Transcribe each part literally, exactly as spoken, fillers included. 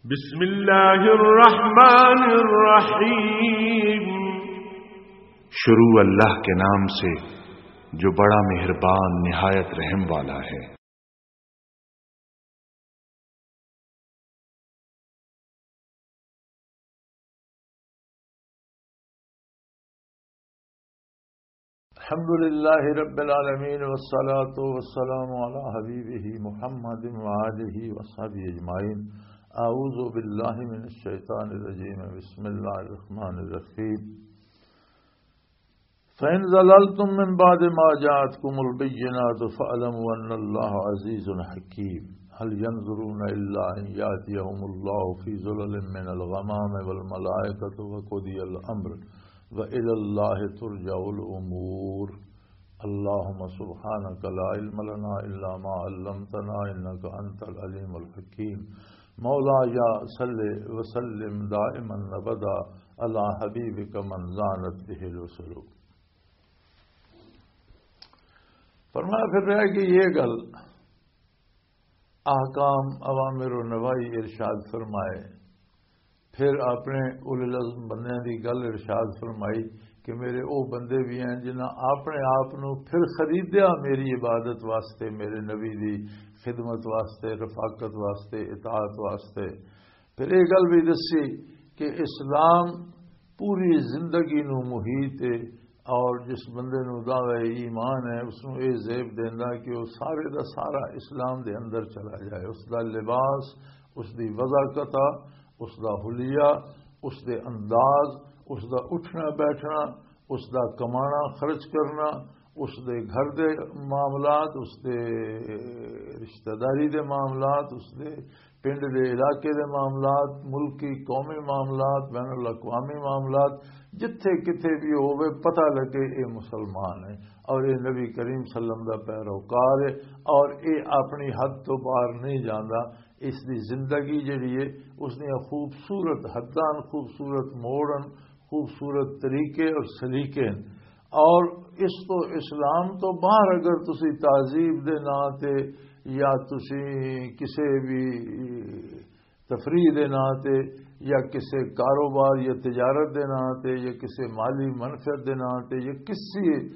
بسم اللہ الرحمن الرحیم۔ شروع اللہ کے نام سے جو بڑا مہربان نہایت رحم والا ہے۔ الحمد لله رب العالمين، والصلاة والسلام على حبيبه محمد وآله وصحبه أجمعين. أعوذ بالله من الشيطان الرجيم. بسم الله الرحمن الرحيم. فإن زللتم من بعد ما جاءتكم البينات فاعلموا أن الله عزيز حكيم. هل ينظرون إلا أن يأتيهم الله في ظلل من الغمام والملائكة وقضي الأمر وإلى الله ترجع الأمور. اللهم سبحانك لا علم لنا إلا ما علمتنا إنك أنت العليم الحكيم. مولاي صل وسلم دائما أبدا على حبيبك من زانت به الوصول. فرمایا، پھر رہ گئی یہ گل، احکام، اوامر و نواہی ارشاد فرمائے۔ پھر اپنے اولو العزم بندیاں دی گل ارشاد فرمائی کہ میرے او بندے بھی ہیں جنہاں اپنے آپ نو پھر خریدیا میری عبادت واسطے، میرے نبی دی خدمت واسطے، رفاقت واسطے، اطاعت واسطے۔ پھر یہ گل بھی دسی کہ اسلام پوری زندگی نو محیط ہے، اور جس بندے نو دعوی ایمان ہے، اس نو یہ زیب دیندا کہ وہ سارے دا سارا اسلام دے اندر چلا جائے۔ اس دا لباس، اس دی وضع قطع، اس دا حلیہ، اس دے انداز، اس دا اٹھنا بیٹھنا، اس دا کمانا خرچ کرنا، اس دے گھر دے معاملات، اس دے رشتہ داری دے معاملات، اس دے پنڈ دے علاقے دے معاملات، ملکی قومی معاملات، بین الاقوامی معاملات، جتھے کتھے بھی ہووے، پتہ لگے اے مسلمان ہے اور اے نبی کریم صلی اللہ علیہ وسلم دا پیروکار ہے اور اے اپنی حد تو باہر نہیں جاندا۔ اس دی زندگی جڑی ہے، اس دیاں خوبصورت حداں، خوبصورت موڑن، خوبصورت طریقے اور سلیقے ہیں۔ اور اس تو، اسلام تو باہر اگر تسی تہذیب دے ناں تے یا تسی کسے بھی تفریح دے ناں تے یا کسے کاروبار یا تجارت دے ناں تے یا کسے مالی منفعت دے ناں تے یا کسی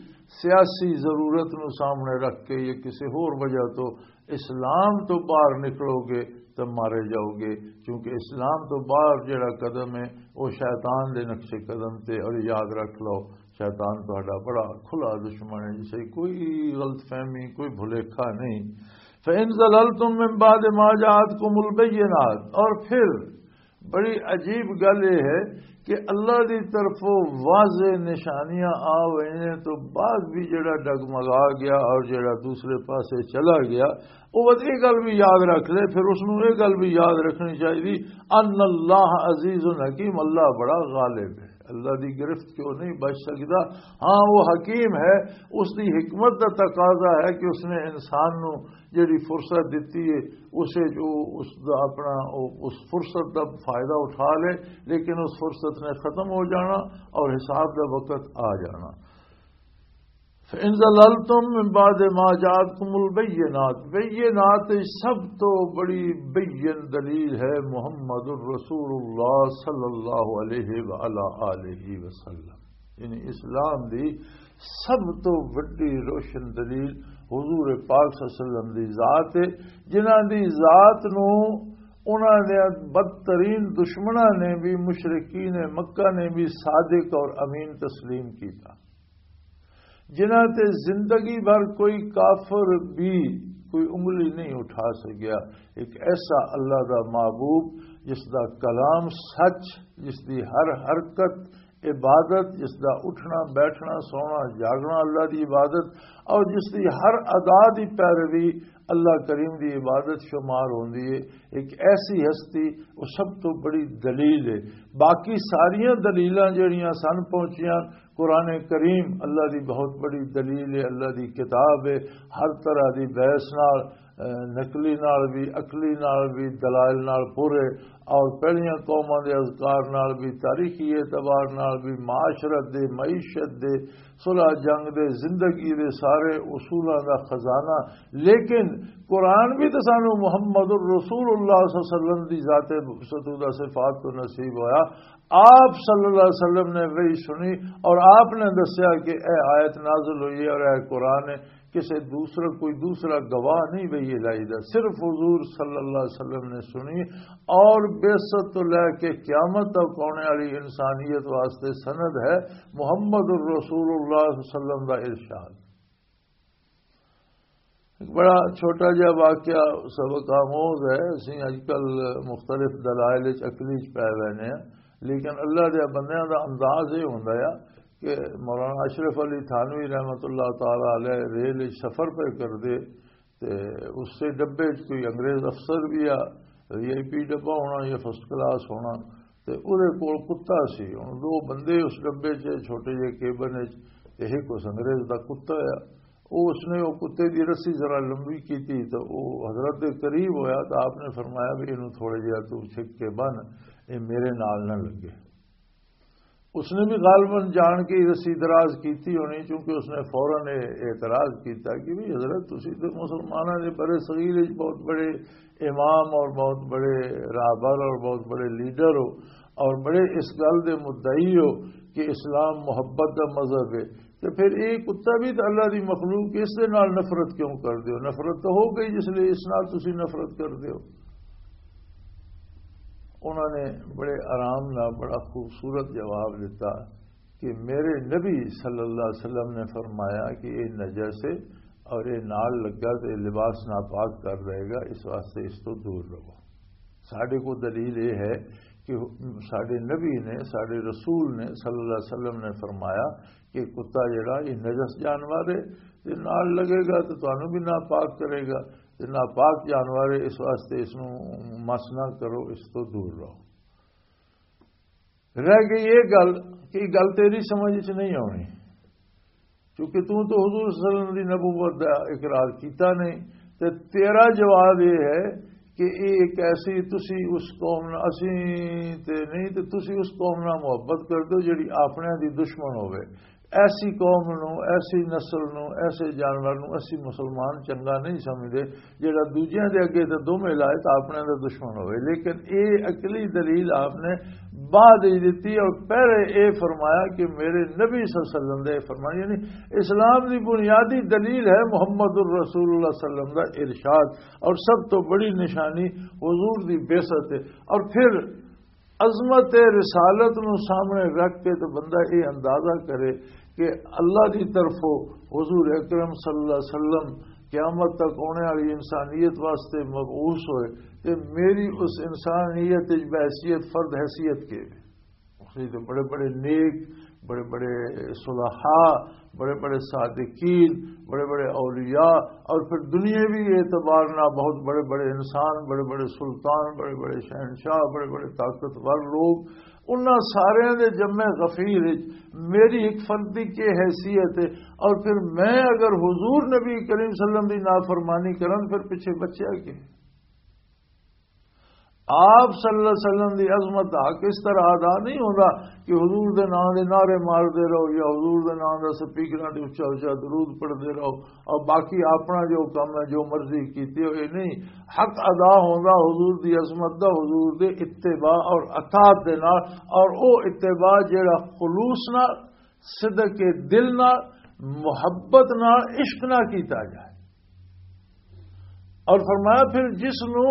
سیاسی ضرورت نو سامنے رکھ کے یا کسے ہور وجہ تو اسلام تو باہر نکلو گے تو مارے جاؤ گے، کیونکہ اسلام تو باہر جڑا قدم ہے، وہ شیطان دے نقش قدم تے۔ اور یاد رکھ لو، شیطان تہاڈا بڑا کھلا دشمن ہے، جسے کوئی غلط فہمی، کوئی بھلیکھا نہیں۔ فَإِن زَلَلْتُم مِّن بَعْدِ مَا جَاءَتْكُمُ الْبَيِّنَاتُ، اور پھر بڑی عجیب گل یہ ہے کہ اللہ دی طرفوں واضح نشانیاں آ گئیاں تو بعد بھی جڑا ڈگمگا گیا اور جڑا دوسرے پاسے چلا گیا، وہ بس یہ گل بھی یاد رکھ لے۔ پھر اس نوں یہ گل بھی یاد رکھنی چاہیے، ان اللہ عزیز حکیم، اللہ بڑا غالب ہے، اللہ دی گرفت کیوں نہیں بچ سکدا۔ ہاں، وہ حکیم ہے، اس دی حکمت دا تقاضا ہے کہ اس نے انسان نوں جڑی فرصت دتی ہے، اسے جو اس دا اپنا، اس فرصت دا فائدہ اٹھا لے، لیکن اس فرصت نے ختم ہو جانا اور حساب دا وقت آ جانا۔ فَإِن زَلَلْتُم مِّن بَعْدِ مَا جَاءَتْكُمُ الْبَيِّنَاتُ، بینات سب تو بڑی بین دلیل ہے محمد الرسول اللہ صلی اللہ علیہ وآلہ آلہ وسلم۔ یعنی اسلام دی سب تو وڈی روشن دلیل حضور پاک صلی اللہ علیہ وسلم دی ذات ہے، جنہاں دی ذات نو انہاں نے بدترین دشمناں نے بھی، مشرکین مکہ نے بھی صادق اور امین تسلیم کیتا، جنہاں تے زندگی بھر کوئی کافر بھی کوئی انگلی نہیں اٹھا سکیا۔ ایک ایسا اللہ دا محبوب جس دا کلام سچ، جس دی ہر حرکت عبادت، جس دا اٹھنا، بیٹھنا، سونا، جاگنا اللہ دی عبادت، اور جس دی ہر ادا دی پیروی اللہ کریم دی عبادت شمار ہوندی ہے۔ ایک ایسی ہستی، وہ سب تو بڑی دلیل ہے۔ باقی ساریاں دلیلاں جڑیاں سن پہنچیاں، قرآن کریم اللہ دی بہت بڑی دلیل ہے، اللہ دی کتاب ہے، ہر طرح دی بحث نال نقلی نال بھی، عقلی نال بھی، دلائل نال پورے، اور پہلیاں قوماں دے اذکار نال بھی، تاریخی اعتبار نال بھی، معاشرت دے، معیشت دے، صلح جنگ دے، زندگی دے سارے اصولاں دا خزانہ۔ لیکن قرآن بھی تو سانو محمد الرسول اللہ صلی اللہ علیہ وسلم دی ذات، ستودہ صفات تو نصیب ہویا۔ آپ صلی اللہ علیہ وسلم نے وہی سنی اور آپ نے دسیا کہ اے آیت نازل ہوئی ہے اور اے قرآن ہے، کسے دوسرا، کوئی دوسرا گواہ نہیں وہی الہی دا، صرف حضور صلی اللہ علیہ وسلم نے سنی۔ اور بعثت تو لے کے قیامت تک آنے والی انسانیت واسطے سند ہے محمد الرسول اللہ صلی اللہ علیہ وسلم دا ارشاد۔ ایک بڑا چھوٹا جہا واقعہ، سبق آموز ہے۔ اسی اج کل مختلف دلائل وچ، عقلی وچ پے وینے ہیں، لیکن اللہ دے بندیاں دا انداز یہ ہوندا ہے کہ مولانا اشرف علی تھانوی رحمۃ اللہ تعالی علیہ ریل وچ سفر پہ کردے، تے اس سے ڈبے وچ کوئی انگریز افسر بھی آ، وی آئی پی ڈبہ ہونا یا فرسٹ کلاس ہونا، تے اودے کول کتا سی۔ ہن دو بندے اس ڈبے چ، چھوٹے جے کیبن وچ، تے ایک اس انگریز دا کتا آ۔ او اس نے او کتے دی رسی ذرا لمبی کیتی، تے او حضرت دے قریب ہویا، تے آپ نے فرمایا بھی اینوں تھوڑے جہا تو چھک کے بن، اے میرے نال نہ لگے۔ اس نے بھی غالباً جان کے ہی رسی دراز کیتی ہونی، کیونکہ اس نے فوراً یہ اعتراض کیتا کہ بھی حضرت، تسی تے مسلماناں دے برے صغیر وچ بہت بڑے امام اور بہت بڑے رہبر اور بہت بڑے لیڈر ہو اور بڑے اس گل دے مدعی ہو کہ اسلام محبت دا مذہب ہے، تے پھر یہ کتا بھی تے اللہ دی مخلوق، اس دے نال نفرت کیوں کر دیو؟ نفرت تو ہو گئی، جس لیے اس نال تسی نفرت کر دیو۔ انہوں نے بڑے آرام نال بڑا خوبصورت جواب دیتا کہ میرے نبی صلی اللہ علیہ وسلم نے فرمایا کہ یہ نجس ہے اور یہ نال لگا تو یہ لباس ناپاک کر دے گا، اس واسطے اس تو دور رہو۔ ساڈے کو دلیل یہ ہے کہ ساڈے نبی نے، ساڈے رسول نے صلی اللہ علیہ وسلم نے فرمایا کہ کتا جڑا یہ نجس جانور ہے، تے نال لگے گا تے تانوں بھی ناپاک کرے گا، تے ناپاک جانور ہے، اس واسطے اس نوں مس نہ کرو، اس تو دور رہو۔ رہ گئی یہ گل کہ یہ گل تیری سمجھ وچ نہیں آنی، کیونکہ تو تو حضور صلی اللہ علیہ وسلم دی نبوت دا اقرار کیتا نہیں، تے تیرا جواب یہ ہے کہ یہ ایک ایسی، تسی اس قوم نال، اسی تے نہیں، تے تسی اس قوم نال محبت کر دو جڑی اپنے دی دشمن ہوے۔ ایسی قوم نو، ایسی نسل نو، ایسے جانور نو اسی مسلمان چنگا نہیں سمجھدے جڑا دوجیاں دے اگے تے دم ہلائے تے اپنے دا دشمن ہوئے۔ لیکن اے عقلی دلیل آپ نے بعد ہی دتی، اور پہلے اے فرمایا کہ میرے نبی صلی اللہ علیہ وسلم دے فرمان، یعنی اسلام دی بنیادی دلیل ہے محمد الرسول اللہ صلی اللہ علیہ وسلم دا ارشاد، اور سب تو بڑی نشانی حضور دی بعثت ہے۔ اور پھر عظمت رسالت نو سامنے رکھ کے تو بندہ یہ اندازہ کرے کہ اللہ دی طرفوں حضور اکرم صلی اللہ علیہ وسلم قیامت تک آنے والی انسانیت واسطے مبعوث ہوئے، تے میری اس انسانیت وچ بحیثیت فرد حیثیت کے وے۔ اس وچ تے بڑے بڑے نیک، بڑے بڑے صلحاء، بڑے بڑے صادقین، بڑے بڑے اولیاء، اور پھر دنیاوی اعتبار نال بہت بڑے بڑے انسان، بڑے بڑے سلطان، بڑے بڑے شہنشاہ، بڑے بڑے طاقتور لوگ، انہاں ساریاں دے جمع غفیر وچ میری ایک فردی کی حیثیت ہے، اور پھر میں اگر حضور نبی کریم صلی اللہ علیہ وسلم دی نافرمانی کراں، پھر پیچھے بچیا کہ آپ صلی اللہ علیہ وسلم دی عظمت دا حق اس طرح ادا نہیں ہوندا کہ حضور دے نام دے نعرے مار دے رہو یا حضور دے نام دا سپیکراں تے اچا اچا درود پڑھ دے رہو، اور باقی اپنا جو کم ہے، جو مرضی کیتی ہو، یہ نہیں۔ حق ادا ہوندا حضور دی عظمت دا، حضور دے اتباع اور اطاعت دے نال، اور او اتباع جیڑا خلوص نال، صدق دل نال، محبت نال، عشق نال کیتا جائے۔ اور فرمایا، پھر جس نو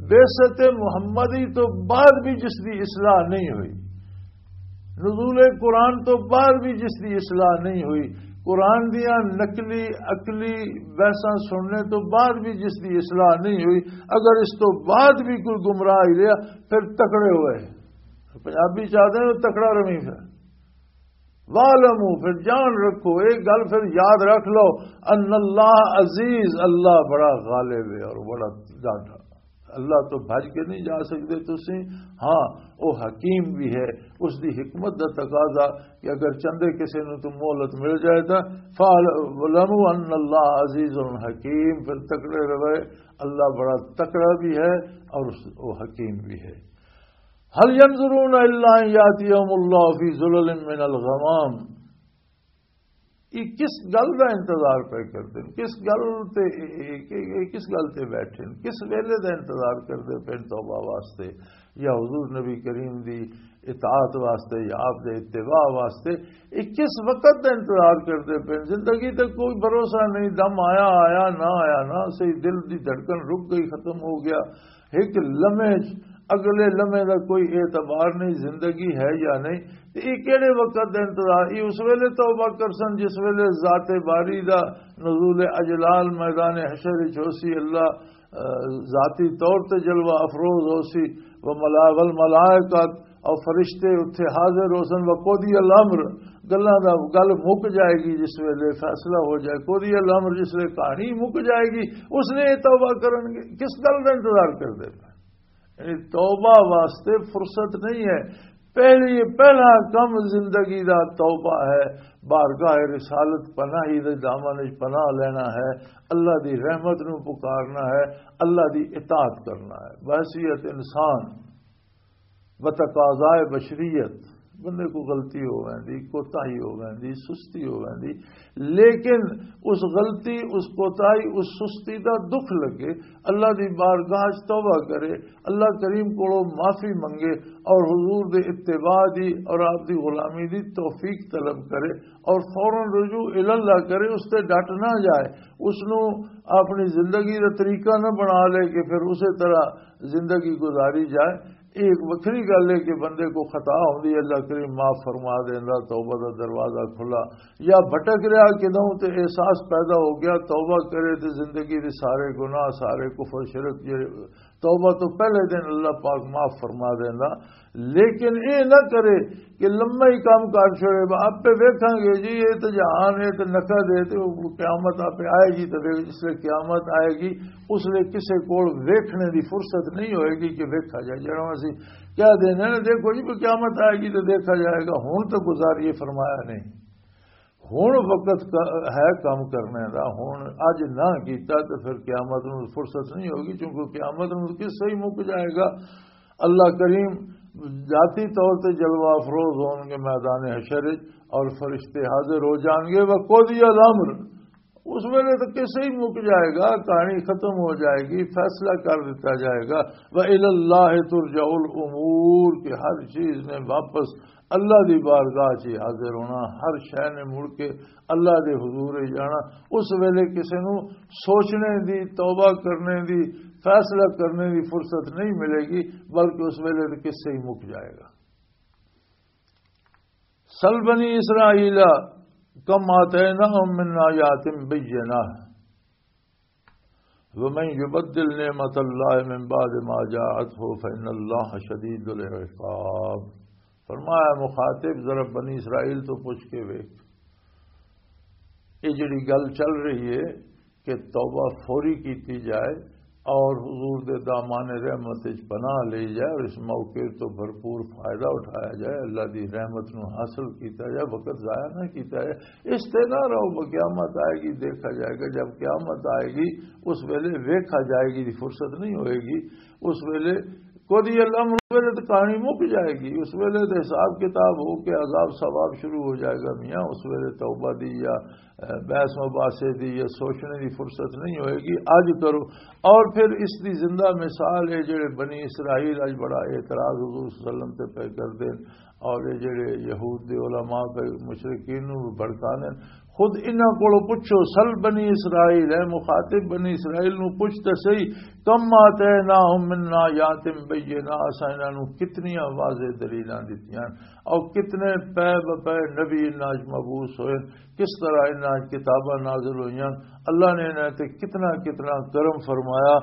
بعثت محمدی تو بعد بھی جس دی اصلاح نہیں ہوئی، نزول قرآن تو بعد بھی جس دی اصلاح نہیں ہوئی، قرآن دیاں نقلی عقلی بحثاں سننے تو بعد بھی جس دی اصلاح نہیں ہوئی، اگر اس تو بعد بھی کوئی گمراہ ہی رہا، پھر تکڑے ہوئے۔ پنجابی چاہتے ہیں تکڑا روی پھر۔ وَاعْلَمُوا، پھر جان رکھو، ایک گل پھر یاد رکھ لو، ان اللہ عزیز، اللہ بڑا غالب ہے اور بڑا ڈاڈا۔ اللہ تو بھج کے نہیں جا سکتے تسی۔ ہاں، وہ حکیم بھی ہے، اس دی حکمت دا تقاضا کہ اگر چندے کسے نوں تو مہلت مل جائے تو فَاعْلَمُوا أَنَّ اللَّهَ عَزِيزٌ حَكِيمٌ، پھر تکڑے رہے، اللہ بڑا تکڑا بھی ہے اور اس، وہ حکیم بھی ہے۔ هَلْ يَنظُرُونَ إِلَّا أَنْ يَأْتِيَهُمُ اللَّهُ فِي ظُلَلٍ مِّنَ الْغَمَامِ۔ یہ کس گل دا انتظار پہ کردے نے؟ کس گل تے، یہ، یہ، یہ کس گل تے بیٹھے نے؟ کس ویلے دا انتظار کردے پے نے توبہ واسطے، یا حضور نبی کریم دی اطاعت واسطے، یا آپ دے اتباع واسطے؟ یہ کس وقت دا انتظار کردے پے نے؟ زندگی تے کوئی بھروسہ نہیں، دم آیا آیا، نہ آیا نہ صحیح، دل دی دھڑکن رک گئی، ختم ہو گیا۔ ایک لمحے چ، اگلے لمحے دا کوئی اعتبار نہیں، زندگی ہے یا نہیں۔ تے یہ کہڑے وقت دا انتظار؟ یہ اس ویلے توبہ کرسن جس ویلے ذات باری دا نزول اجلال میدان حشر وچ ہوسی، اللہ، آ، ذاتی طور تے جلوہ افروز ہوسی، و ملا-، والملائکۃ، اور فرشتے اتھے حاضر ہوسن، و قضی الامر، گلاں دا گل مک جائے گی، جس ویلے فیصلہ ہو جائے، قضی الامر، جس ویلے کہانی مک جائے گی، اس نے یہ توبہ کرن گے۔ کس گل دا انتظار کردے پے؟ یعنی توبہ واسطے فرصت نہیں ہے۔ پہلی، پہلا کم زندگی دا توبہ ہے، بارگاہ رسالت پناہی دے دامن وچ پناہ لینا ہے، اللہ دی رحمت نو پکارنا ہے، اللہ دی اطاعت کرنا ہے۔ بحیثیت انسان، بتقاضائے بشریت، بندے کو غلطی ہو ویندی، کوتاہی ہو ویندی، سستی ہو ویندی، لیکن اس غلطی، اس کوتاہی، اس سستی دا دکھ لگے، اللہ دی بارگاہ چ توبہ کرے، اللہ کریم کولوں معافی منگے، اور حضور دے اتباع دی اور آپ دی غلامی دی توفیق طلب کرے، اور فوراً رجوع الی اللہ کرے، اس تے ڈٹ نہ جائے، اس نو اپنی زندگی دا طریقہ نہ بنا لے کہ پھر اسی طرح زندگی گزاری جائے۔ یہ ایک وکھری گل ہے کہ بندے کو خطا ہوندی ہے، اللہ کریم معاف فرما دیندا، توبہ دا دروازہ کھلا، یا بھٹک رہا کدوں تے احساس پیدا ہو گیا، توبہ کرے تے زندگی دے سارے گناہ، سارے کفر شرک جڑے توبہ تو پہلے دن اللہ پاک معاف فرما دیندا۔ لیکن اے نہ کرے کہ لمبا ہی کام کر چھوڑے، "با، آپے ویکھاں گے جی، اے تے جہان ہے تے نقد ہے تے وہ قیامت آپے آئے گی، تے ویکھ، جس لے قیامت آئے گی، اس لے کسے کول ویکھنے دی فرصت نہیں ہوئے گی کہ ویکھا جائے۔" جنہوں اسی کہہ دینے نا، "دیکھو جی، قیامت آئے گی تو دیکھا جائے گا، ہن تو گزار یہ فرمایا نہیں۔" ہن وقت ک-، ہے کم کرنے دا، ہن اج نہ کیتا تے پھر قیامت نوں فرصت نہیں ہوگی، کیونکہ قیامت نوں قصہ ہی مک جائے گا۔ اللہ کریم ذاتی طور تے جلوہ افروز ہون گے میدان حشر وچ، اور فرشتے حاضر ہو جان گے، وَقُضِيَ الْأَمْرُ۔ اس ویلے تو قصہ ہی مک جائے گا، کہانی ختم ہو جائے گی، فیصلہ کر دیتا جائے گا۔ وَإِلَى اللَّهِ تُرْجَعُ الْأُمُورُ، کہ ہر چیز نے واپس اللہ دی بارگاہ چ حاضر ہونا، ہر شے نے مڑ کے اللہ دے حضور ہی جانا۔ اس ویلے کسے نو سوچنے دی، توبہ کرنے دی، فیصلہ کرنے دی فرصت نہیں ملے گی، بلکہ اس ویلے تے قصہ ہی مک جائے گا۔ سل بنی اسرائیل کم آتیناہم من آیات بینہ۔ ومن یبدل نعمت اللہ من بعد ما جاءته فإن اللہ شدید العقاب۔ فرمایا، مخاطب، ذرا بنی اسرائیل تو پوچھ کے ویکھ، یہ جڑی گل چل رہی ہے کہ توبہ فوری کیتی جائے اور حضور دے دامان رحمت وچ پناہ لی جائے اور اس موقع تو بھرپور فائدہ اٹھایا جائے، اللہ دی رحمت نو حاصل کیتا جائے، وقت ضائع نہ کیتا جائے۔ اس تے نہ رہو، وہ قیامت آئے گی، دیکھا جائے گا۔ جب قیامت آئے گی، اس ویلے ویکھا جائے گی دی فرصت نہیں ہوئے گی۔ اس ویلے قضی الامر، اس ویلے تو کہانی مک جائے گی، اس ویلے تو حساب کتاب ہو کے عذاب ثواب شروع ہو جائے گا۔ میاں، اس ویلے توبہ دی یا، اے، بحث مباحثے دی یا سوچنے دی فرصت نہیں ہوئے گی۔ اج کرو۔ اور پھر اس دی زندہ مثال ہے، جڑے بنی اسرائیل اج بڑا اعتراض حضور صلی اللہ علیہ وسلم تے پہ کر دین، اور یہ جڑے یہود دے علماء تے مشرکین نو بھی بھڑکا دین۔ خود انہاں کولوں پوچھو، سل بنی اسرائیل، اے مخاطب، بنی اسرائیل نو پوچھ تے صحیح، کم آتیناہم من آیات بینات، اساں انہاں نو کتنیاں واضح دلیلاں دتیاں، اور کتنے پے بپے نبی انہاں وچ مبعوث ہوئے، کس طرح انہاں وچ کتاباں نازل ہوئیاں، اللہ نے انہاں تے کتنا کتنا کرم فرمایا،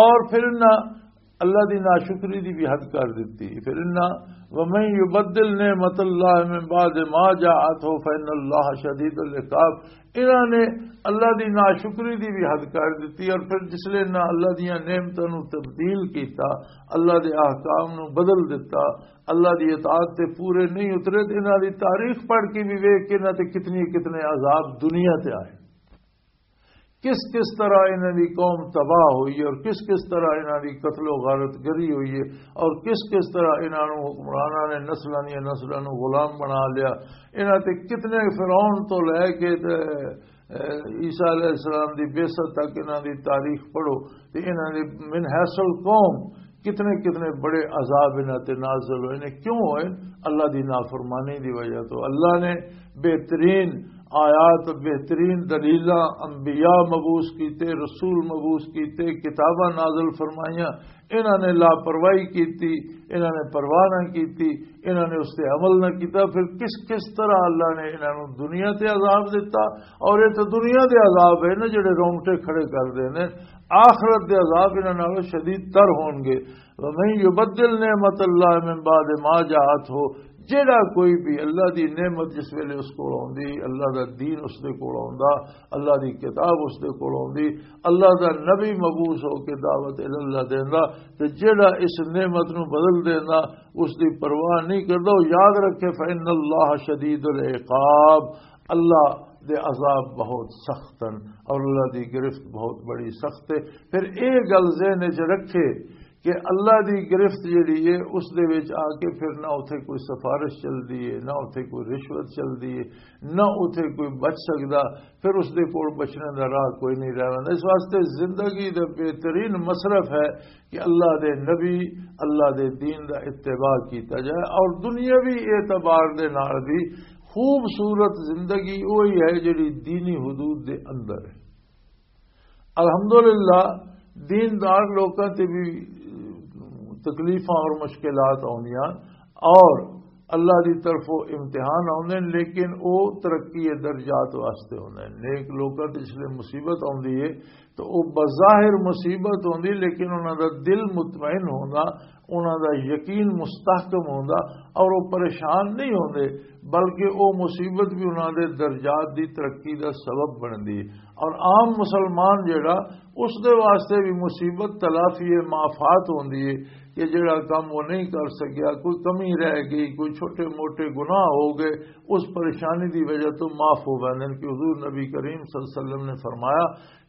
اور پھر انہاں اللہ دی ناشکری دی بھی حد کر دتی۔ پھر انہاں، وَمَن يُبَدِّلْ نِعْمَتَ اللَّهِ مِن بَعْدِ مَا جَاءَتْهُ فَإِنَّ اللَّهَ شَدِيدُ الْعِقَابِ۔ انہاں نے اللہ دی ناشکری دی بھی حد کر دتی، اور پھر جس لے انہاں اللہ دیاں نعمتاں نوں تبدیل کیتا، اللہ دے احکام نوں بدل دتا، اللہ دی اطاعت تے پورے نہیں اترے، تے انہاں دی تاریخ پڑھ کے بھی ویکھ کے انہاں تے کتنے کتنے عذاب دنیا تے آئے۔ کس کس طرح انہاں دی قوم تباہ ہوئی اور کس کس طرح انہاں دی قتل و غارت گری ہوئی ہے، اور کس کس طرح انہاں نوں حکمراناں نے نسلاں دیاں نسلاں نوں غلام بنا لیا۔ انہاں تے کتنے فرعون تو لے کے تے، اے، عیسیٰ علیہ السلام دی بعثت تک انہاں دی تاریخ پڑھو، تے انہاں دی من حیث القوم کتنے کتنے بڑے عذاب انہاں تے نازل ہوئے نے۔ کیوں ہوئے؟ اللہ دی نافرمانی دی وجہ تو۔ اللہ نے بہترین آیات، بہترین دلیلاں، انبیاء مبعوث کیتے، رسول مبعوث کیتے، کتاباں نازل فرمائیاں، انہاں نے لاپرواہی کیتی، انہاں نے پرواہ نہ کیتی، انہاں نے اس تے عمل نہ کیتا۔ پھر کس کس طرح اللہ نے انہاں نوں دنیا تے عذاب دتا؟ اور یہ تو دنیا دے عذاب ہے نا، جڑے رونگٹے کھڑے کر دے نے۔ آخرت دے عذاب انہاں نالوں شدید تر ہون گے۔ وَمَن يُبَدِّلْ نِعْمَتَ اللَّهِ مِن بَعْدِ مَا جَاءَتْهُ، جیڑا کوئی بھی اللہ دی نعمت جس ویلے اس کول آوندی، اللہ دا دین اس دے کول آوندا، اللہ دی کتاب اس دے کول آوندی، اللہ دا نبی مبعوث ہو کے دعوت الی اللہ دیندا، تے جیڑا اس نعمت نوں بدل دیندا، اس دی پرواہ نہیں کردا، وہ یاد رکھے، فَإِنَّ اللَّهَ شَدِيدُ الْعِقَابِ، اللہ دے عذاب بہت سخت ہیں اور اللہ دی گرفت بہت بڑی سخت ہے۔ پھر یہ گل ذہن وچ رکھے کہ اللہ دی گرفت جڑی ہے، اس دے وچ آ کے پھر نہ اتھے کوئی سفارش چلدی ہے، نہ اتھے کوئی رشوت چلدی ہے، نہ اتھے کوئی بچ سکدا۔ پھر اس دے کول بچنے دا راہ کوئی نہیں رہنا۔ اس واسطے زندگی دا بہترین مصرف ہے کہ اللہ دے نبی، اللہ دے دین دا اتباع کیتا جائے، اور دنیاوی اعتبار دے نال بھی خوبصورت زندگی وہی ہے جڑی دینی حدود دے اندر ہے۔ الحمدللہ، دیندار لوکاں تے بھی تکلیفاں اور مشکلات آوندیاں، اور اللہ دی طرفوں امتحان آوندے نے، لیکن او ترقی درجات واسطے ہوندے نے۔ نیک لوکاں تے جس لے مصیبت آوندی ہے تو او بظاہر مصیبت ہوندی، لیکن انہاں دا دل مطمئن ہوندا، انہاں دا یقین مستحکم ہوندا، اور او پریشان نہیں ہوندے، بلکہ او مصیبت بھی انہاں دے درجات دی ترقی دا سبب بندی۔ اور عام مسلمان جڑا، اس دے واسطے بھی مصیبت تلافی مافات ہوندی ہے کہ جڑا کم وہ نہیں کر سکیا، کوئی کمی رہ گئی، کوئی چھوٹے موٹے گناہ ہو گئے، اس پریشانی دی وجہ تو معاف ہو ویندے نے۔ کہ حضور نبی کریم صلی اللہ علیہ وسلم نے فرمایا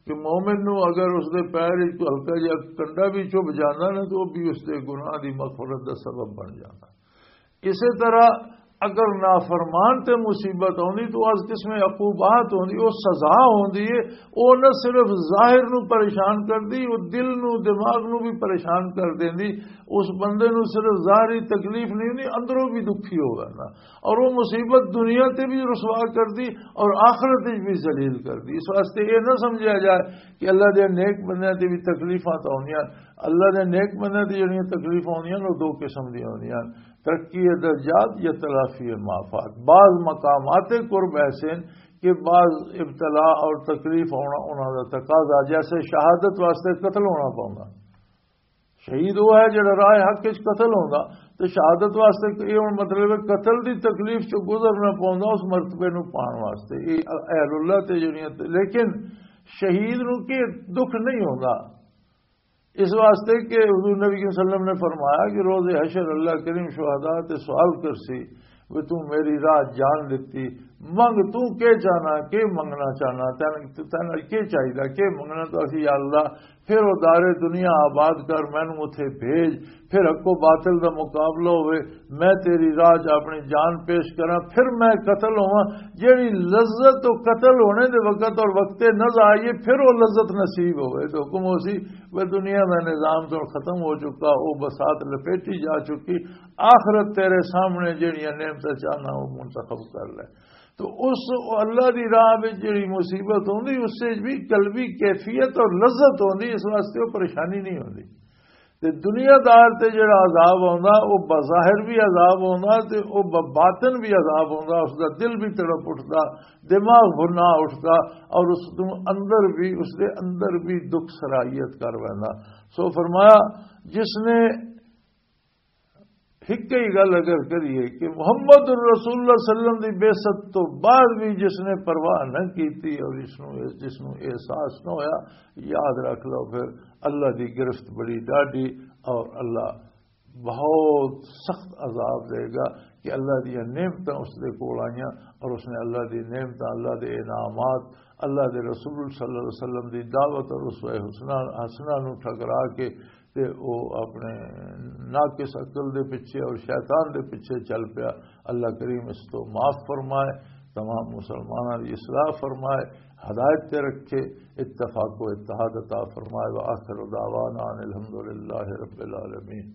کہ مومن نو اگر اس دے پیر وچ کوئی ہلکا جہا کنڈا بھی چبھ جاندا نا، تو وہ بھی اس دے گناہ دی مغفرت دا سبب بن جاندا۔ اسی طرح اگر نافرمان تے مصیبت ہوندی تو از قسم عقوبات ہوندی، وہ سزا ہوندی ہے۔ وہ نہ صرف ظاہر نو پریشان کردی، وہ دل نو، دماغ نو بھی پریشان کر دیندی۔ اس بندے نو صرف ظاہری تکلیف نہیں ہوندی، اندروں بھی دکھی ہو گیا نا۔ اور وہ مصیبت دنیا تے بھی رسوا کر دی اور آخرت وچ بھی ذلیل کر دی۔ اس واسطے یہ نہ سمجھا جائے کہ اللہ دے نیک بندیاں تے بھی تکلیفاں تو ہوندیاں۔ اللہ دے نیک بندیاں تے جڑیاں تکلیفاں ہوندیاں، وہ دو قسم دیاں ہوندیاں، ترقی درجات یا تلافی مافات۔ بعض مقامات قرب ایسے ہیں کہ بعض ابتلا اور تکلیف ہونا انہاں دا تقاضا، جیسے شہادت واسطے قتل ہونا پوندا۔ شہید وہ ہے جڑا راہ حق وچ قتل ہوندا، تے شہادت واسطے یہ ہن مطلب ہے قتل دی تکلیف چوں گزرنا پوندا اس مرتبے نوں پان واسطے۔ یہ اہل اللہ تے جڑیاں تے، لیکن شہید نوں کی دکھ نہیں ہوندا۔ اس واسطے کہ حضور نبی صلی اللہ علیہ وسلم نے فرمایا کہ روز حشر اللہ کریم شہداء تے سوال کرسی، "وے تو میری راہ جان دتی، منگ تو کے چاہنا، کے منگنا چاہنا، تین، تین کے چاہیدا، کے منگنا؟" تو اسی، "یا اللہ، پھر وہ دار دنیا آباد کر، مینوں اتھے بھیج، پھر حق و باطل دا مقابلہ ہوئے، میں تیری راہ چ اپنی جان پیش کراں، پھر میں قتل ہوواں۔" جیڑی لذت و قتل ہونے دے وقت اور وقت نزع آئیے، پھر وہ لذت نصیب ہوئے۔ تو حکم ہو سی، وہ دنیا دا نظام تو ختم ہو چکا، وہ بسات لپیٹی جا چکی، آخرت تیرے سامنے جیڑیاں نعمتاں چاہنا وہ منتخب کر لے۔ تو اس اللہ دی راہ وچ جیڑی مصیبت ہوندی، اس وچ بھی قلبی کیفیت اور لذت ہوندی، اس واسطے وہ پریشانی نہیں ہوندی۔ تے دنیا دار تے جڑا عذاب آوندا، او بظاہر بھی عذاب آوندا تے او ب-، باطن بھی عذاب آوندا، اس دا دل بھی تڑپ اٹھدا، دماغ بھنا اٹھدا، اور اس نوں اندر بھی، اس دے اندر بھی دکھ سرائیت کر ویندا۔ سو فرمایا، جس نے ہک ہی گل اگر کریے کہ محمد الرسول اللہ صلی اللہ علیہ وسلم دی بعثت تو بعد بھی جس نے پرواہ نہ کیتی اور اس نوں، جس نوں احساس نہ ہویا، یاد رکھ لو، پھر اللہ دی گرفت بڑی ڈاڈی، اور اللہ بہت سخت عذاب دے گا کہ اللہ دی نعمتاں اس دے کول آئیاں اور اس نے اللہ دی نعمتاں، اللہ دے انعامات، اللہ دے رسول صلی اللہ علیہ وسلم دی دعوت اور اسوہ حسنہ، حسنہ نوں ٹھکرا کے تے او اپنے ناقص عقل دے پیچھے اور شیطان دے پیچھے چل پیا۔ اللہ کریم اس تو معاف فرمائے، تمام مسلمانوں کی اصلاح فرمائے، ہدایت تے رکھے، اتفاق و اتحاد عطا فرمائے۔ وآخر دعوانا ان الحمد للہ رب العالمین۔